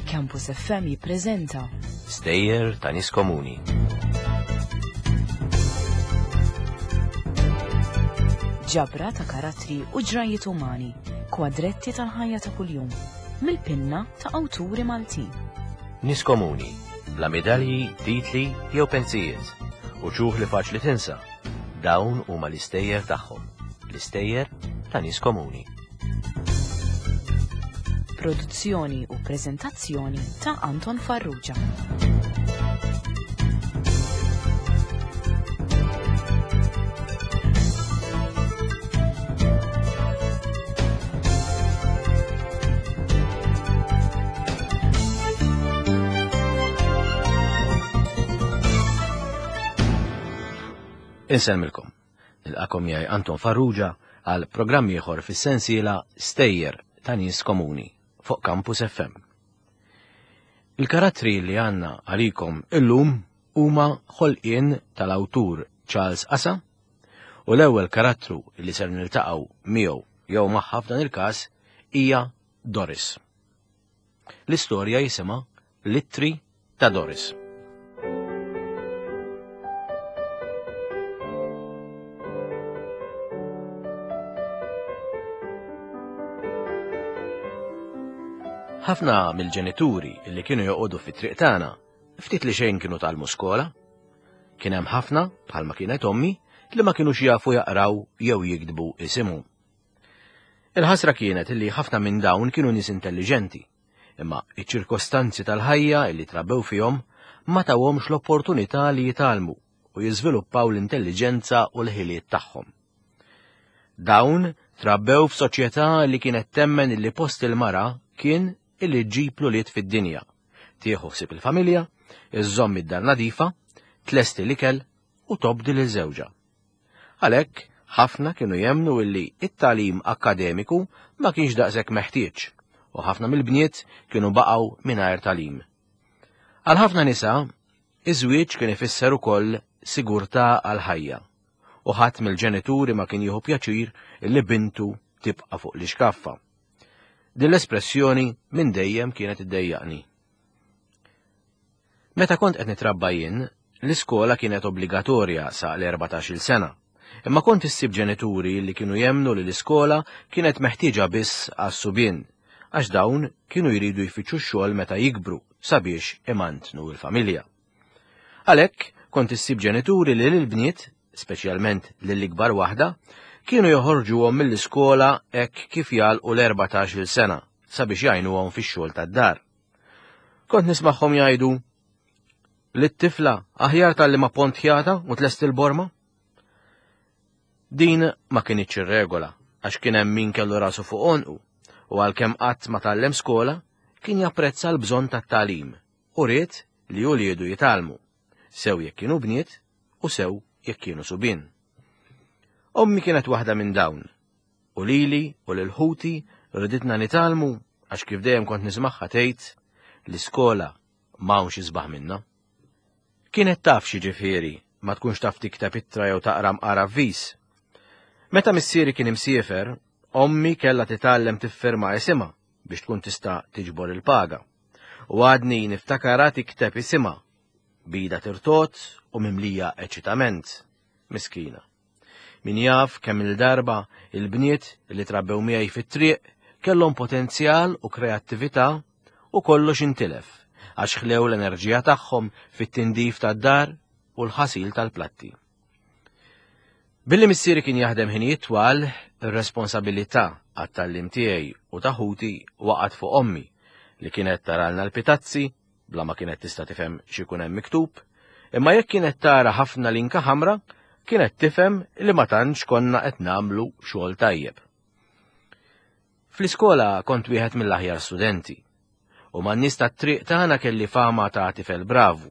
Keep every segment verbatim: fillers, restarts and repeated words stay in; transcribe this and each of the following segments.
Campus F M jippreżenta Stejjer ta' nies komuni. Ġabra ta' karattri u ġrajiet umani, kwadretti tal-ħajja ta' kuljum, mill-pinna ta' awturi Maltin. Nies komuni, bla medalji, titli jew pensijiet, u ċuħ li faċli tinsa. Dawn huma l-istejjer tagħhom, l-istejjer ta' nies komuni. Produzzjoni u preżentazzjoni ta' Anton Farrugia. Insellmilkom. Nilqakom miegħi Anton Farrugia għal programm ieħor fis-sensiela Stejjer ta' Nies Komuni fuq Campus F M. Il-karattri li għandna għalikom illum huma ħolqien tal-awtur Charles Asa u l-ewwel karattru li ser niltaqgħu miegħu jew magħha f'dan il-każ hija Doris. L-istorja jisimha L-Ittri ta' Doris. Ħafna mill-ġenituri li kienu joqogħdu fit-triq tagħna ftit li xejn kienu tgħallmu skola. Kien hemm ħafna, bħalma kienet ommi, li ma kinux jafu jaqraw jew jiktbu isimhom. Il-ħasra kienet li ħafna minn dawn kienu nies intelliġenti, imma iċ-ċirkostanzi tal-ħajja li trabbew fihom ma tawhomx l-opportunità li jitgħallmu u jiżviluppaw l-intelliġenza u l-ħiliet tagħhom. Dawn trabbew f'soċjetà li kienet temmen li post il-mara kien illi ġġib l-ulied fid-dinja, tieħu ħsieb il-familja, iżżomm id-dar nadifa, tlesti l-ikel u tobdi lil żewġha. Għalhekk, ħafna kienu jemmnu illi it-tagħlim akkademiku ma kienx daqshekk meħtieġ u ħafna mill-bniet kienu baqgħu mingħajr tagħlim. Għal ħafna nisa, iż-żwieġ kien ifisser ukoll sigurtà għall-ħajja u ħadd mill-ġenituri ma kien jieħu pjaċir illi bintu tibqa' fuq l-ixkaffa. Din l-espressjoni minn dejjem kienet iddejjaqni. Meta kont qed nitrabba jien, l-iskola kienet obbligatorja sa l-erbatax-il sena, imma kont issib ġenituri li kienu jemmnu li l-iskola kienet meħtieġa biss għas-subien, għax dawn kienu jridu jfittxu x-xogħol meta jikbru sabiex imantnu l-familja. Għalhekk kont issib ġenituri li lill-bniet, speċjalment lill-ikbar waħda, kienu joħorġuhom mill-iskola hekk kif jagħlqu l-erbatax-il sena sabiex jgħinuhom fix-xogħol tad-dar. Kont nismagħhom jgħidu li t-tifla aħjar talli ma pont ħjata u tlest il-borma? Din ma kinitx ir-regola għax kien hemm min kellu rasu fuq għonqu u għalkemm qatt ma tgħallem skola kien japprezza l-bżonn tat-tagħlim u ried li uliedu jitgħallmu, sew jekk kienu bniet u sew jekk kienu subien. Ommi kienet waħda minn dawn, u lili u lil ħuti riditna nitgħallmu għax kif dejjem kont nismagħha tgħid l-iskola m'hawnx isbaħ minnha. Kienet taf xi ġifieri ma tkunx taf tikteb ittra jew taqra mqar avviż. Meta missieri kien imsiefer, ommi kellha titgħallem tiffirma isimha biex tkun tista' tiġbor il-paga. U għadni niftakarha tikteb isimha bida tirtot u mimlija eċitament. Miskina. Min jaf kemm il-darba il-bniet li trabbew miegħi fit-triq kellhom potenzjal u kreattività u kollox intilef għax ħlew l-enerġija tagħhom fit-tindif tad-dar u l-ħasil tal-platti. Billi missieri kien jaħdem ħinijiet twal, ir-responsabilità għat-tgħallim tiegħi u ta' ħuti waqgħet fuq ommi li kienet taralna l-pitazzi bla ma kienet tista' tifhem x'ikun hemm miktub, imma jekk kienet tara ħafna linka ħamra, kienet tifhem li ma tantx konna qed nagħmlu xogħol tajjeb. Fl-iskola kont wieħed mill-aħjar studenti, u man-nies tat-triq tagħna kelli fama ta' tifel bravu.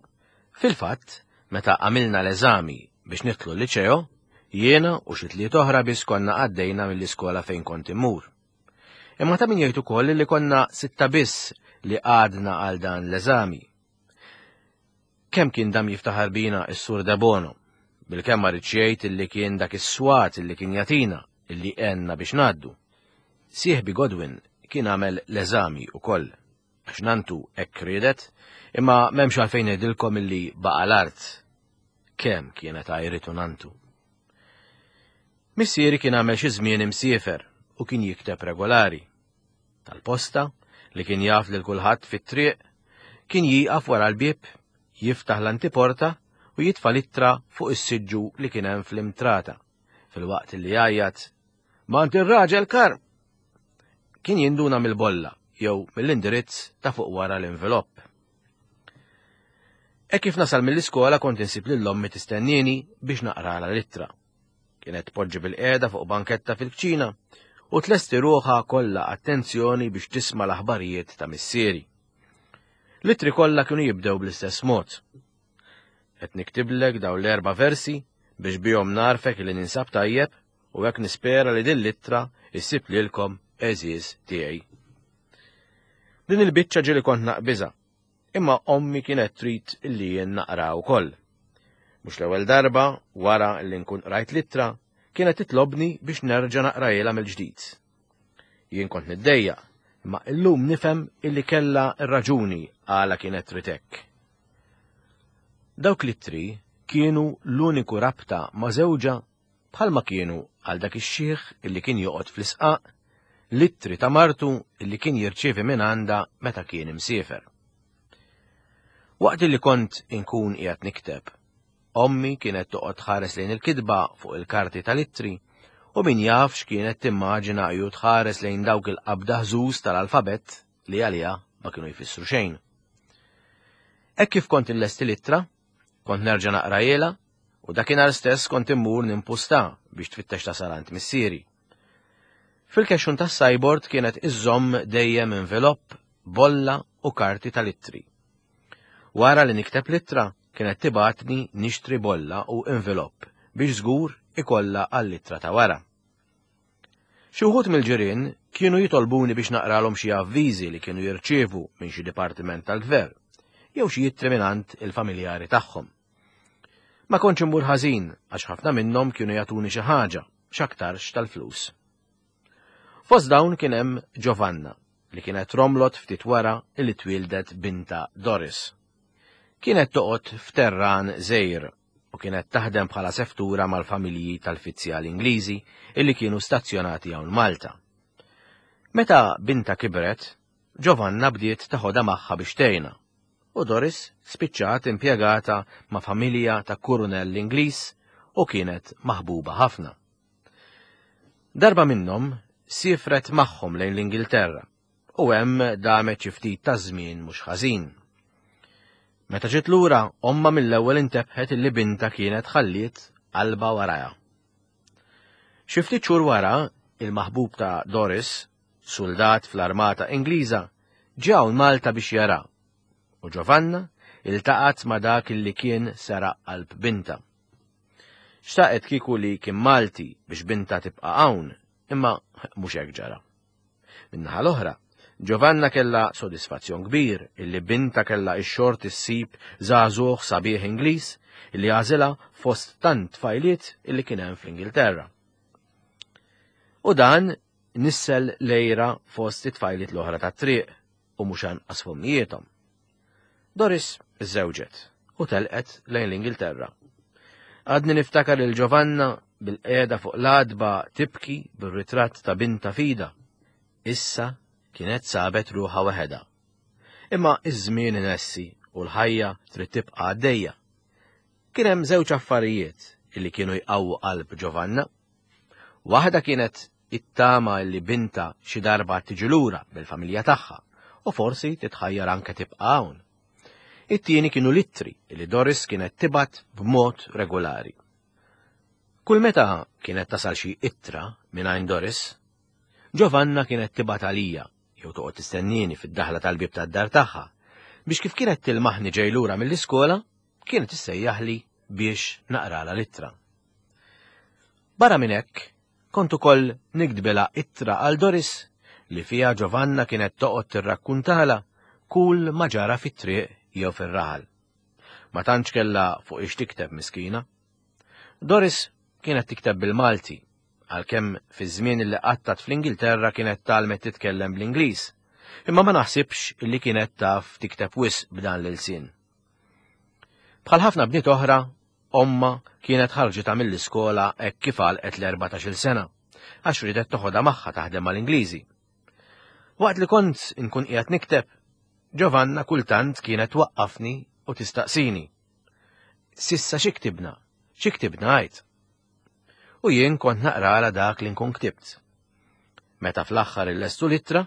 Fil-fatt, meta għamilna l-eżami biex nidħlu l-liċeo, jiena u xi tliet oħra biss konna għaddejna mill-iskola fejn kont immur. Imma ta' min jgħid ukoll li konna sitta biss li għadna għal dan l-eżami. Kemm kien dam jiftaħar bina s-Sur Debono, bil-kemm ma ridx jgħid illi kien dak is-swat illi kien jagħtina illi għenna biex ngħaddu. Sieħbi Godwin kien għamel l-eżami ukoll, għax nantu hekk riedet, imma m'hemmx għalfejn ngħidilkom illi baqa' l-art. Kemm kienet għajritu nantu. Missieri kien għamel xi żmien imsiefer u kien jikteb regolari. Tal-posta, li kien jaf lil kulħadd fit-triq, kien jieqaf wara l-bieb, jiftaħ l-antiporta u jitfa' l-ittra fuq is-siġġu li kien hemm fl-imtrata, filwaqt li jgħajjat "M'għand ir-raġel Karm!" Kien jinduna mill-bolla jew mill-indirizz ta' fuq wara l-envelopp. Hekk kif nasal mill-iskola kont insib lil ommi tistennini biex naqralha l-ittra. Kienet tpoġġi bil-qiegħda fuq banketta fil-kċina u tlesti ruħha kollha attenzjoni biex tisma' l-aħbarijiet ta' missieri. L-ittri kollha kienu jibdew bl-istess mod. Qed niktiblek dawn l-erba' versi biex bihom nagħrfek li ninsab tajjeb u hekk nispera li din l-ittra issib lilkom għeżież tiegħi. Din il-biċċa ġieli kont naqbiżha, imma ommi kienet trid illi jien naqra wkoll. Mhux l-ewwel darba wara li nkun qrajt l-ittra kienet titlobni biex nerġa' naqrajilha mill-ġdid. Jien kont niddejjaq, imma illum nifhem illi kellha r-raġuni għala kienet trid hekk. Dawk l-ittri kienu l-uniku rabta ma' żewġha bħalma kienu għal dak ix-xiħ illi kien joqgħod fl-isqaq, l-ittri ta' martu illi kien jirċievi minn għandha meta kien imsiefer. Waqt li kont inkun qiegħed nikteb, ommi kienet toqgħod tħares lejn il-kitba fuq il-karti tal-ittri u min jaf x'kienet timmaġina ju tħares lejn dawk il-qabda ħżuż tal-alfabett li għaliha ma kienu jfissru xejn. Hekk kif kont inlesti l-ittra, kont nerġa' naqrajilha u dakinhar stess kont immur nimpusta biex tfittex tasal għand missieri. Fil-kexxun tas-sideboard kienet iżżomm dejjem envelopp, bolla u karti tal-ittri. Wara li nikteb l-ittra, kienet tibgħatni nixtri bolla u envelopp biex żgur ikollha għall-ittra ta' wara. Xi wħud mill-ġirien kienu jitolbuni biex naqralhom xi avviżi li kienu jirċievu minn xi dipartiment tal-gvern jew xi ittri mingħand il-familjari tagħhom. Ma kontx immur ħażin għax ħafna minnhom kienu jagħtuni xi ħaġa, x'aktarx tal-flus. Fost dawn kien hemm Giovanna li kienet romlot ftit wara li twildet binta Doris. Kienet toqgħod f'terran żgħir u kienet taħdem bħala seftura mal-familji tal-fizzjali Ingliżi illi kienu stazzjonati hawn Malta. Meta binta kibret, Giovanna bdiet taħodha magħha biex tgħinha, u Doris spiċċat impjegata ma' familja ta' kurunell Ingliż u kienet maħbuba ħafna. Darba minnhom siefret magħhom lejn l-Ingilterra u hemm damet xi ftit ta' żmien mhux ħażin. Meta ġiet lura, omma mill-ewwel intebħet illi binta kienet ħalliet qalbha warajha. Xi ftit xhur wara, il-maħbub ta' Doris, soldat fl-armata Ingliża, ġie hawn Malta biex jara. U Giovanna iltaqat ma' dak illi kien seraq qalb binta. Xtaqet kieku li kien Malti biex binta tibqa' hawn, imma mhux hekk ġara. Min-naħa l-oħra, Giovanna kella sodisfazzjon kbir illi binta kella ix-xort issib żagħżugħ sabiħ Ingliż illi għażilha fost tant tfajliet illi kien hemm fl-Ingilterra. U dan nissel l-għira fost it-tfajliet l-oħra tat-triq u mhux anqas f'ommijiethom. Doris iżżewġet u telqet lejn l-Ingilterra. Għadni niftakar lil Giovanna bil-qiegħda fuq l-għatba tibki bir-ritratt ta' binta f'idha. Issa kienet sabet ruħha waħedha. Imma iż-żmien inessi u l-ħajja trid tibqa' għaddejja. Kien hemm żewġ affarijiet illi kienu jqawwu qalb Giovanna. Waħda kienet it-tama illi binta xi darba tiġi lura bil-familja tagħha u forsi titħajjar anke tibqa' hawn. It-tieni kienu l-ittri li Doris kienet tibgħat b'mod regolari. Kull meta kienet tasal xi ittra minn għand Doris, Giovanna kienet tibgħat għalija jew toqgħod tistennini fid-daħla tal-bieb tad-dar tagħha biex kif kienet tilmaħni ġej lura mill-iskola, kienet issejjaħli biex naqralha l-ittra. Barra minn hekk, kont ukoll niktbilha ittra għal Doris li fiha Giovanna kienet toqgħod tirrakkuntala kull ma ġara fit-triq jew fir-raħal. Ma tantx kellha fuq ix tikteb miskina. Doris kienet tikteb bil-Malti għalkemm fi żmien li qattat fl-Ingilterra kienet tgħallmet titkellem bl-Ingliż, imma ma naħsibx illi kienet taf tikteb wisq b'dan l-ilsien. Bħal ħafna bniet oħra, omma kienet ħarġitha mill-iskola hekk kif għalqet l-erbatax-il sena, għax ridet toħodha magħha taħdem mal-Ingliżi. Waqt li kont inkun qiegħed nikteb, Giovanna kultant kienet twaqqafni u tistaqsini. Sissa xi ktibna? Xi ktibna għid? U jien kont naqralha dak li nkun ktibt. Meta fl-aħħar illestu l-ittra,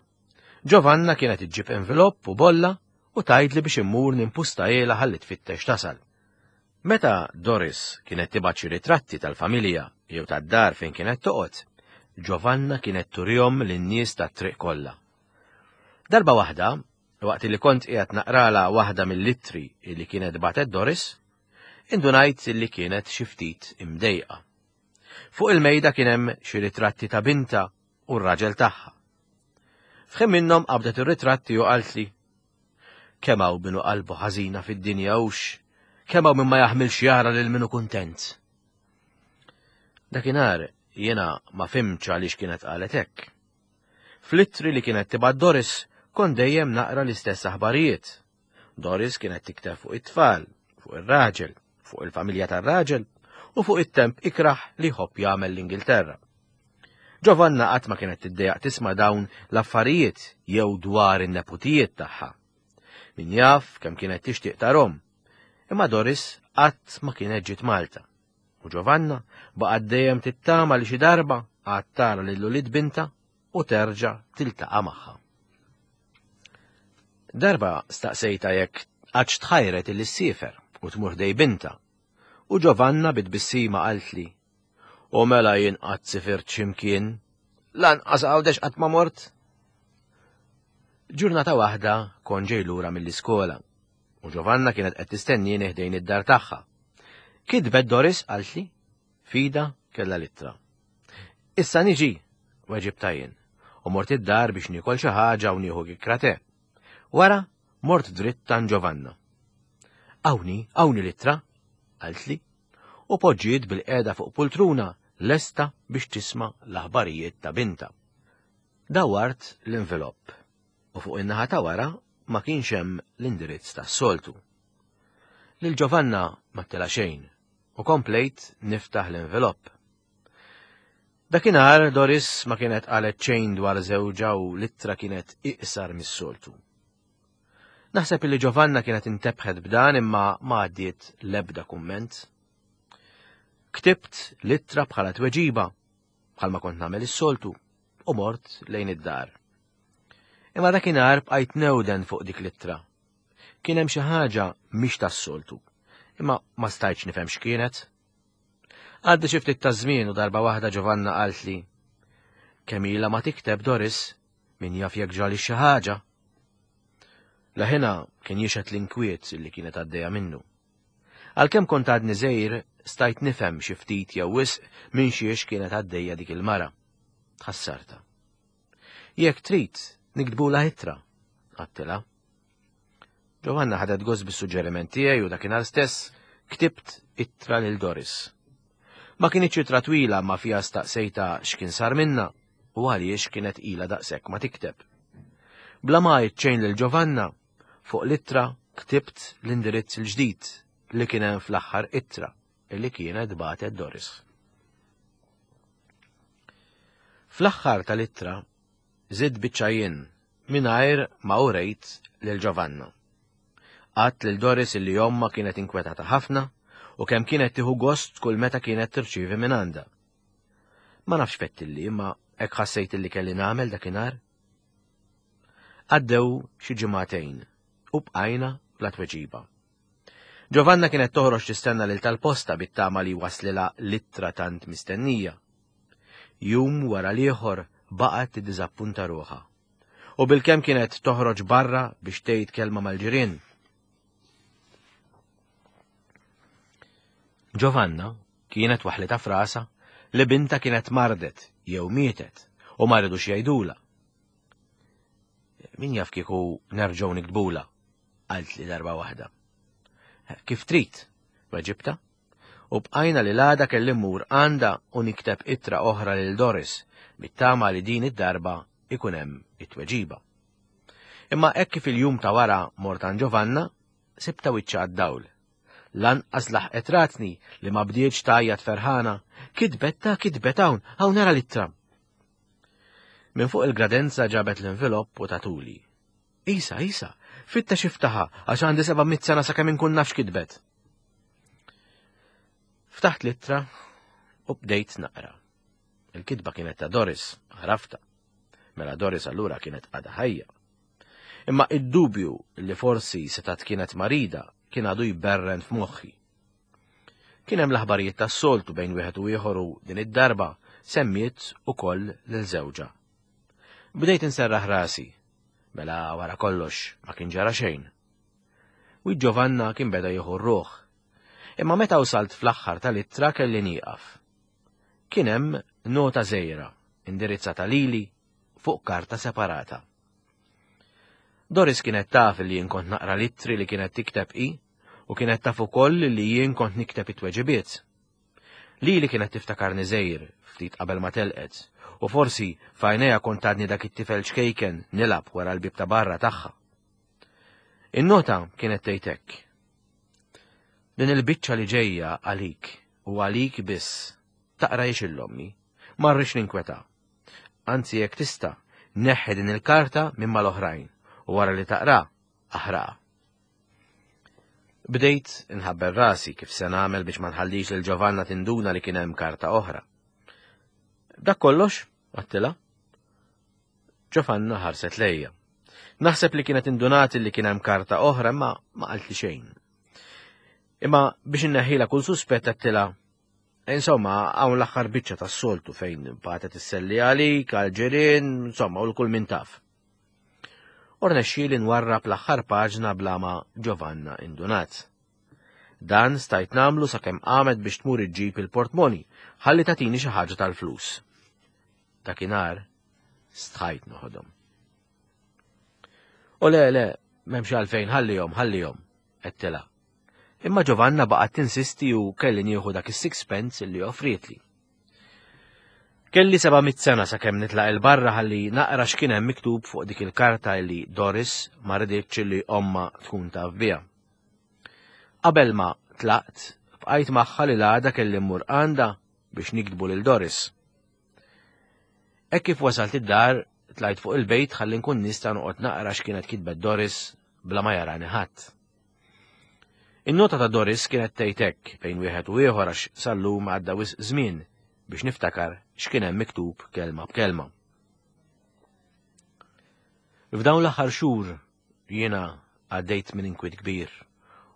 Giovanna kienet iġġib envelopp u bolla u tgħidli biex immur nimpustahielha ħalli tfittex tasal. Meta Doris kienet tibgħat xi ritratti tal-familja jew tad-dar fejn kienet toqgħod, Giovanna kienet turihom lin-nies tat-triq kollha. Darba waħda, waqt li kont qiegħed naqralha waħda mill-ittri li kienet bagħtet Doris, indunajt li kienet xi ftit imdejqa. Fuq il-mejda kien hemm xi ritratti ta' binta u r-raġel tagħha. F'ħin minnhom qabdet ir-ritratti u qaltli, kemm hawn min hu qalbu ħażina fid-dinja hux, kemm hawn min ma jaħmilx jara lil min hu kuntent. Dakinhar jiena ma fhimtx għaliex kienet qalet hekk. Fl-ittri li kienet tibgħat Doris kont dejjem naqra l-istess aħbarijiet. Doris kienet tikteb fuq it-tfal, fuq ir-raġel, fuq il-familja tar-raġel u fuq it-temp ikraħ li jħobb jagħmel l-Ingilterra. Giovanna qatt ma kienet tiddejjaq tisma' dawn l-affarijiet jew dwar in-neputijiet tagħha. Min jaf kemm kienet tixtieq tarhom, imma Doris qatt ma kienet ġiet Malta. U Giovanna baqgħet dejjem tittama li xi darba għad tara lil ulied binta u terġa' tiltaqa' magħha. Darba staqsejta jekk qattx tħajret illi ssiefer u tmur ħdejn binta, u Giovanna bi tbissima qaltli, u mela jien qatt sifirt x'imkien, lanqas Għawdex qatt ma mort. Ġurnata waħda kont ġej lura mill-iskola, u Giovanna kienet qed tistennini ħdejn id-dar tagħha. Kitbet Doris qaltli, f'idha kellha l-ittra. Issa niġi, weġibtha jien, u mort id-dar biex niekol xi ħaġa u nieħu kikkra te. Wara mort dritt għand Giovanna. Hawnhi, hawnhi l-ittra, qaltli, u poġġiet bilqiegħda fuq pultruna lesta biex tisma' l-aħbarijiet ta' binta. Dawart l-envelopp u fuq in-naħa ta' wara ma kienx hemm l-indirizz tas-soltu. Lil Giovanna ma tela xejn u komplejt niftaħ l-envelopp. Dakinhar Doris ma kienet qalet xejn dwar żewġha u l-ittra kienet iqsar mis-soltu. Naħseb li Giovanna kienet intebħet b'dan imma ma għaddiet l-ebda kumment. Ktibt l-ittra bħala tweġiba, bħalma kont nagħmel is-soltu, u mort lejn id-dar. Imma dakinhar bqajt newden fuq dik l-ittra. Kien hemm xi ħaġa mhix tas-soltu, imma ma stajtx nifhem x'kienet. Għadda xi ftit ta' żmien u darba waħda Giovanna qaltli, kemm ilha ma tikteb Doris, min jaf jekk ġrali xi ħaġa. Leħinha kien jixhed l-inkwiet li kienet għaddejja minnu. Għalkemm kont għadni żgħir, stajt nifhem xi ftit jew wisq minn xiex kienet għaddejja dik il-mara. Tħassarta. Jekk trid, niktbulha ittra, għedtilha. Giovanna ħadet gost bis-suġġeriment tiegħi u dakinhar stess ktibt ittra lil Doris. Ma kinitx ittra twila ma fiha staqsejta x'kien sar minna u għaliex kienet ilha daqshekk ma tikteb. Bla ma għidt xejn lil Giovanna, fuq l-ittra ktibt l-indirizz il-ġdid li kien hemm fl-aħħar ittra li kienet bagħtet Doris. Fl-aħħar tal-ittra żidt biċċa jien mingħajr ma urejt lil Giovanna. Għedt lil Doris illi ommha kienet inkwetata ħafna u kemm kienet tieħu gost kull meta kienet tirċievi minn għandha. Ma nafx fettilli imma hekk ħassejt illi kelli nagħmel dakinhar. Għaddew xi ġimagħtejn u bqajna bla tweġiba. Giovanna kienet toħroġ tistenna lil tal-posta bit-tama li waslilha l-ittra tant mistennija. Jum wara l-ieħor baqgħet tiddiżappunta ruħha. U bilkemm kienet toħroġ barra biex tgħid kelma mal-ġirien. Giovanna kienet waħlitha f'rasha li binta kienet mardet jew mietet u ma ridux jgħidula. Min jaf kieku nerġgħu niktbula, qaltli darba waħda. Kif trid, weġibta, U bqajna li l-għada kelli mmur għandha u nikteb ittra oħra lil Doris, bit-tama li din id-darba ikun hemm it-tweġiba. Imma hekk kif il-jum ta' wara mort għand Giovanna, sibta wiċċha għad-dawl. Lanqas laħqet ratni li ma bdietx tgħajjat ferħana, kitbet ta' kitbet hawn, hawn nara l-ittra. Minn fuq il-gradenza ġabet l-envelopp u tatuli. Isa, Isa, fittex iftaħha għax għandi seba' mitt sena sakemm inkun naf x'kitbet. Ftaħt l-ittra u bdejt naqra. Il-kitba kienet ta' Doris, għarafta. Mela Doris allura kienet għadha ħajja. Imma id-dubju li forsi setgħet kienet marida kien għadu jberren f'moħħi. Kien hemm l-aħbarijiet tas-soltu bejn wieħed u ieħor u din id-darba semmiet ukoll lil żewġha. Bdejt inserraħ rasi, mela wara kollox ma kien ġara xejn. U Giovanna kien beda jieħu r-ruħ. Imma meta wasalt fl-aħħar tal-ittra kelli nieqaf. Kien hemm nota żgħira indirizzata lili fuq karta separata. Doris kienet taf li jien kont naqra l-ittri li kienet tikteb i u kienet taf ukoll li jien kont nikteb it-tweġibiet. Lili kienet tiftakarni żgħir ftit qabel ma telqet u forsi f'għajnejha kont għadni dak it-tifel ċkejken nilgħab wara l-bib ta' barra tagħha. In-nota kienet tgħid hekk. Din il-biċċa li ġejja għalik u għalik biss taqrahiex lil ommi, ma rridx ninkweta. Anzi jekk tista' neħħi din il-karta minn mal-oħrajn u wara li taqra, aħraqha. Bdejt inħabbel rasi kif se nagħmel biex ma nħallix lil Giovanna tinduna li kien hemm karta oħra. Dak kollox, għedtilha. Giovanna ħarset lejja. Naħseb li kienet indunat li kien hemm karta oħra imma ma qaltli xejn. Imma biex inneħħila kull suspett għedtilha, insomma, hawn l-aħħar biċċa tas-soltu fejn bagħtet isselli għalik, għal-ġirien, insomma, u l-kull min taf. U rnexxieli nwarrab l-aħħar paġna bla ma Giovanna indunat. Dan stajt nagħmlu sakemm qamet biex tmur iġġib il-portmoni, ħalli tatini xi ħaġa tal-flus. Dakinhar stħajt noħodhom. U le, le, m'hemmx għalfejn ħallihom, ħallihom, għedtilha. Imma Giovanna baqgħet tinsisti u kelli nieħu dak is-sixpence li offrietli. Kelli seba' mitt sena sakemm nitlaq 'il barra ħalli naqra x'kien hemm miktub fuq dik il-karta li Doris ma riditx li omma tkun taf biha. Qabel ma tlaqt, bqajt magħha li l-għada kelli mmur għandha biex niktbu lil Doris. Hekk kif wasalt id-dar, tlajt fuq il-bejt ħalli nkun nista' noqgħod naqra x'kienet kitbet Doris bla ma jarani ħadd. In-nota ta' Doris kienet tgħid hekk bejn wieħed u ieħor għax sal-lum għadda wisq żmien biex niftakar x'kien hemm miktub kelma b'kelma. F'dawn l-aħħar xhur jiena għaddejt minn inkwiet kbir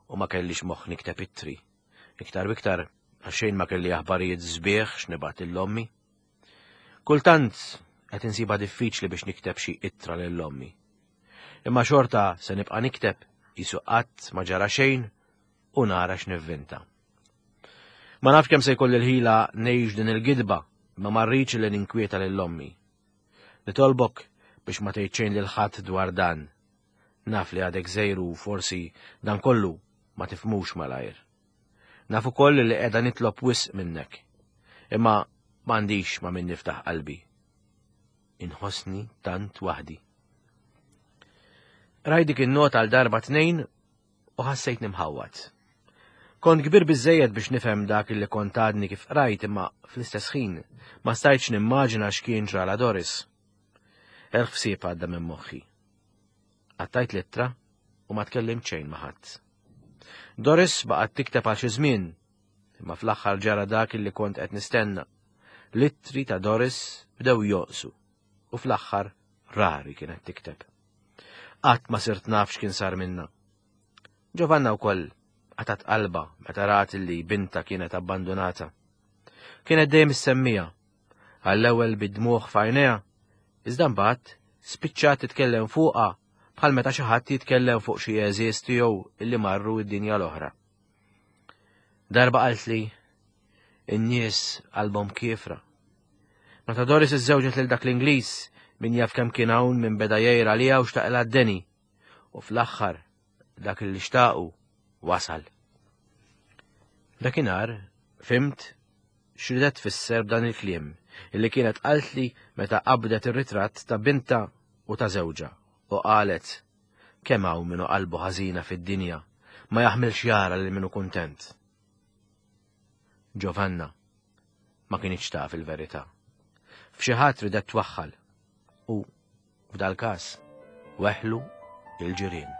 u ma kellix moħħ nikteb ittri. Iktar biktar għax xejn ma kelli aħbarijiet sbieħ x'nibgħat lil ommi. Kultant qed insibha diffiċli biex nikteb xi ittra lil ommi. Imma xorta se nibqa' nikteb qisu qatt ma ġara xejn u nara x'nivvinta. Ma nafx kemm se jkolli l-ħila ngħix din il-gidba, ma ma rridx li ninkwieta lil ommi. Nitolbok biex ma tgħid xejn lil ħadd dwar dan. Naf li għadek żgħir u forsi dan kollu ma tifhmux malajr. Naf ukoll li qiegħda nitlob wisq minnek. Imma m'għandix ma' min niftaħ qalbi. Inħossni tant waħdi. Qrajt dik in-nota għal darba tnejn u ħassejt nimħawwad. Kont kbir biżejjed biex nifhem dak li kont għadni kif qrajt imma fl-istess ħin ma stajtx nimmaġina x'kien ġrala Doris. Elf ħsieb għadda minn moħħi. Qattajt l-ittra u ma tkellimt xejn ma' ħadd. Doris baqgħet tikteb għal xi żmien, imma fl-aħħar ġara dak li kont qed nistenna. L-ittri ta' Doris bdew jonqsu u fl-aħħar rari kienet tikteb. Qatt ma sirt naf x'kien sar minna. Giovanna wkoll qatgħet qalbha meta rat li binta kienet abbandunata. Kienet dejjem issemmija, għall-ewwel bid-dmugħ f'għajnejha, iżda mbagħad spiċċat titkellem fuqha bħal meta xi ħadd jitkellem fuq xi għeżież tiegħu illi marru id-dinja l-oħra. Darba qaltli in-nies qalbhom kiefra. Meta Doris iżżewġet lil dak l-Ingliż min jaf kemm kien hawn minn beda jgħir għaliha u xtaqilha d-deni, u fl-aħħar dak li xtaqu wasal. Dakinhar Fhimt x'ridet tfisser b'dan il-kliem illi kienet qaltli meta qabdet ir-ritratt ta' bintha u ta' żewġha u qalet kemm hawn min hu qalbu ħażina fid-dinja ma jaħmilx jara lil min hu kuntent. Giovanna ma kinitx taf il-verità. F'xi ħadd ridet twaħħal u f'dal-każ weħlu il-ġirien.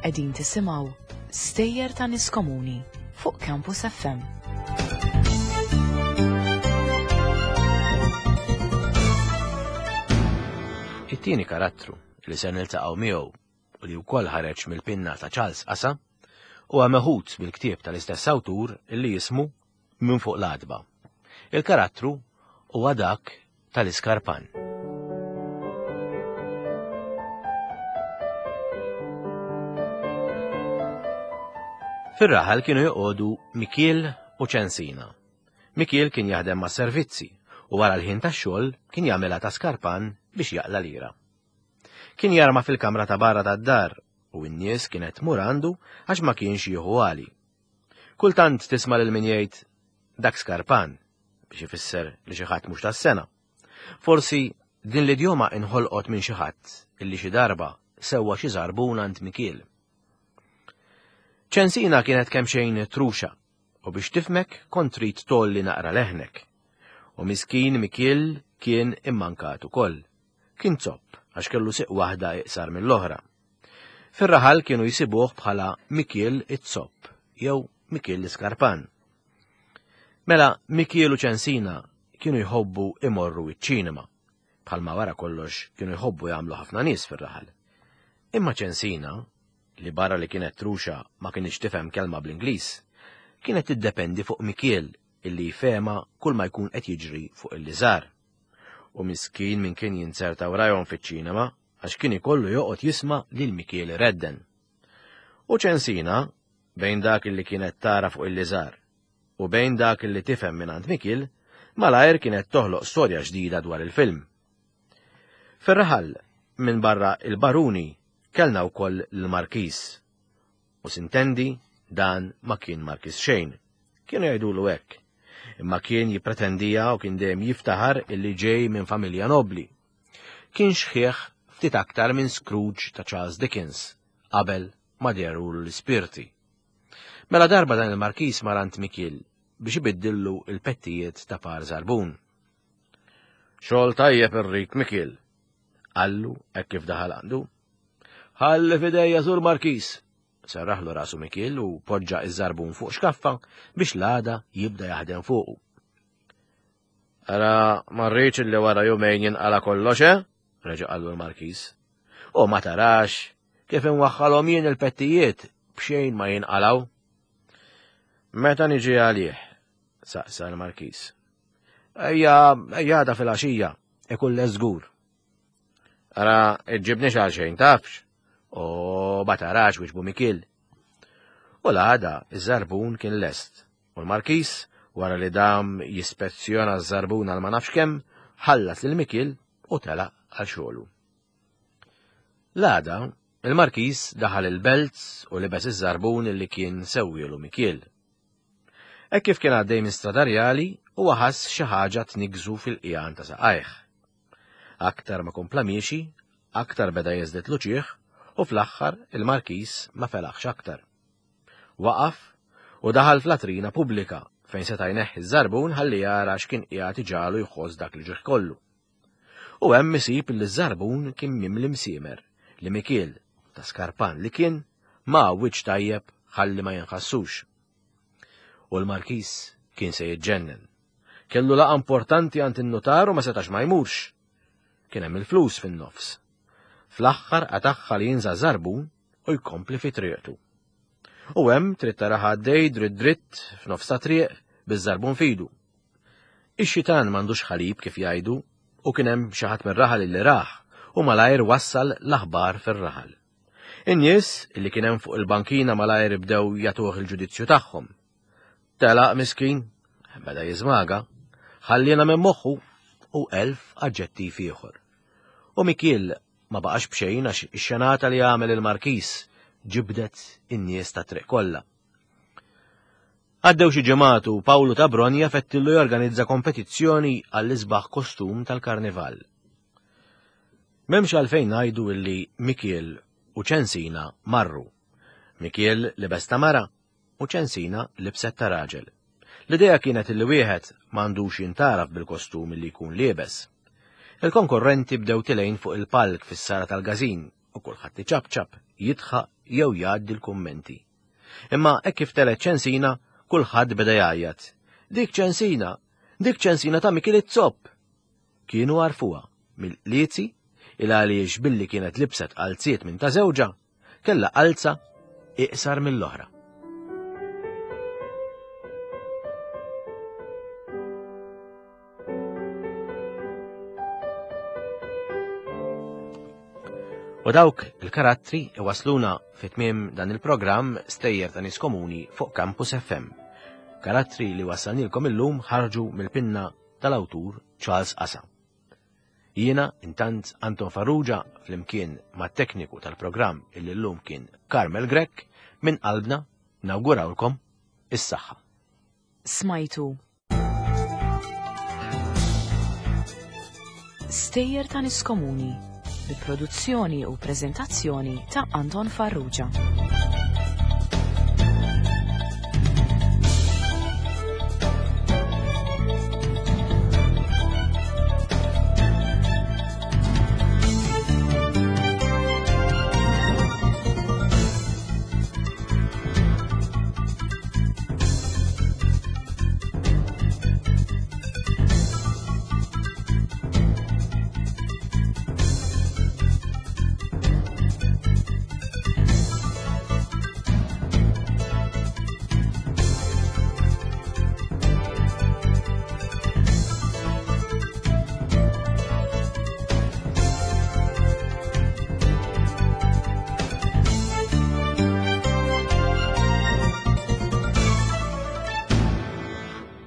Qegħdin tisimgħu Stejjer ta' Nies Komuni fuq Campus F M. It-tieni karattru li se niltaqgħu miegħu u li wkoll ħareġ mill-pinna ta' Charles Casa huwa meħud mill-ktieb tal-istess awtur li jismu Minn fuq l-għatba. Il-karattru huwa dak tal-Iskarpan. Fir-raħal kienu joqogħdu Mikiel u Ċensina. Mikiel kien jaħdem ma' servizzi u wara l-ħin tax-xogħol kien jagħmilha ta' skarpan biex jaqla' lira. Kien jarma fil-kamra ta' barra tad-dar u n-nies kienet tmur għandu għax ma kienx jieħu għali. Kultant tisma' lil min jgħid dak skarpan biex ifisser li xi ħadd mhux tas-sena. Forsi din l-idjoma inħolqot minn xi ħadd illi xi darba sewwa xi żarbun għand Mikiel. Ċensina kienet kemm xejn truxa u biex tifmek kont trid tolli naqra leħnek. U miskin Mikiel kien immankat ukoll. Kien zopp għax kellu siq waħda iqsar mill-oħra. Fir-raħal kienu jsibuh bħala Mikiel it-zopp jew Mikiel l-Iskarpan. Mela Mikiel u Ċensina kienu jħobbu imorru iċ-ċinema, bħalma wara kollox kienu jħobbu jagħmlu ħafna nies fir-raħal. Imma Ċensina, li barra li kienet truxa ma kienx tifhem kelma bl-Ingliż, kienet tiddependi fuq Mikiel illi jfehma kull ma jkun qed jiġri fuq il-liżar. U miskin min kien jinzerta warajhom fiċ-ċinema għax kien ikollu joqgħod jisma' lil Mikiel iredden. U Ċensina, bejn dak illi kienet tara fuq il-liżar u bejn dak illi tifhem mingħand Mikiel, malajr kienet toħloq storja ġdida dwar il-film. Fir-raħal, minn barra il-baruni, kellna wkoll l-Markis. U sintendi dan ma kien Markis xejn. Kienu jgħidulu hekk. Imma kien jippretendija u kien dejjem jiftaħar illi ġej minn familja nobli. Kien xħieħ ftit aktar minn Scrooge ta' Charles Dickens qabel ma dehru l-ispirti. Mela darba dan il-Markis mar għand Mikiel biex ibiddillu il-pettijiet ta' par żarbun. Xogħol tajjeb irrid Mikiel, qallu hekk kif daħal għandu. Ħalli f'idejja Sur Markis, serraħlu rasu Mikiel u poġġa iż-żarbun fuq xkaffa biex l-għada jibda jaħdem fuqu. Ara ma rridx li wara jumejn jinqala kollox, eh? Reġa' qallu l-Markis. U ma tarax kif inwaħħalhom jien il-pettijiet b'xejn ma jinqalaw. Meta niġi għalih? Saqsa l-Markis. Ejja, ejja għada fil-għaxija, ikun lest żgur. Ara, iġġibniex għal xejn, tafx? U ma tarax wieġbu Mikiel. U l-għada, iż-żarbun kien lest. U l-Markis, wara li dam jispezzjona ż-żarbun għal ma nafx kemm, ħallas lil Mikiel u telaq għal xogħlu. L-għada, il-Markis daħal il-belt u libes iż-żarbun li kien sewwielu Mikiel. Hekk kif kien għaddej minn Strada Rjali, huwa ħass xi ħaġa tniggżu fil-qjan ta' saqajh. Aktar ma kompla miexi, aktar beda jeżdied l-uċieħ u fl-aħħar il-Markis ma felaħx aktar. Waqaf u daħal fl-latrina pubblika fejn seta' jneħħi ż-żarbun ħalli jara x'kien qiegħed iġagħlu jħoss dak li ġieħ kollu. U hemm isib li ż-żarbun kien mimli msiemer li Mikiel ta' skarpan li kien ma għawwiġ tajjeb ħalli ma jinħassux. U l-Markis kien se jiġġennen. Kellu laqgħa importanti għand in-nutar u ma setax ma jmurx. Kien hemm il-flus fin-nofs. Fl-aħħar qatagħha li jinża' żarbun u jkompli fi triqtu. U hemm trid taraha għaddej dritt dritt f'nofs ta' triq biż-żarbun fidu. Ix-xitan m'għandux ħalib kif jgħidu u kien hemm xi ħadd mir-raħal li raħ u malajr wassal l-aħbar fir-raħal. In-nies li kien hemm fuq il-bankina malajr bdew jagħtuh il-ġudizzju tagħhom. Telaq miskin, beda jiżmaga, ħallina minn moħħu u elf aġġettiv ieħor. U Mikiel ma baqax b'xejn għax ix-xenata li għamel il-Markis ġibdet in-nies ta' triq kollha. Għaddew xi ġimgħat u Pawlu ta' Bronja fettillu jorganizza kompetizzjoni għall-isbaħ kostum tal-karnival. M'hemmx għalfejn ngħidu illi Mikiel u Ċensina marru. Mikiel libes ta' mara u Ċensina libset ta' raġel. L-idea kienet illi wieħed m'għandux jintaraf bil-kostum li jkun liebes. Il-konkorrenti bdew tilejn fuq il-palk fis-sala tal-gazin u kulħadd iċapċap, jidħaq jew jgħaddi l-kummenti. Imma hekk kif telet Ċensina, kulħadd beda jgħajjat. Dik Ċensina, dik Ċensina ta' Mikiel iż-Zopp. Kienu għarfuha mill-liezi il għaliex billi kienet libset qalziet minn ta' żewġha, kellha qalza iqsar mill-oħra. U dawk il-karattri iwasluna fit-tmiem dan il-programm Stejjer ta' Nies Komuni fuq Campus F M. Karattri li wassalnilkom illum ħarġu mill-pinna tal-awtur Charles Asa. Jiena intant Anton Farrugia flimkien mat-tekniku tal-programm illi llum kien Carmel Grech minn qalbna nawgurawlkom is-saħħa. Smajtu Stejjer ta' Nies Komuni bi produzzjoni u preżentazzjoni ta' Anton Farrugia.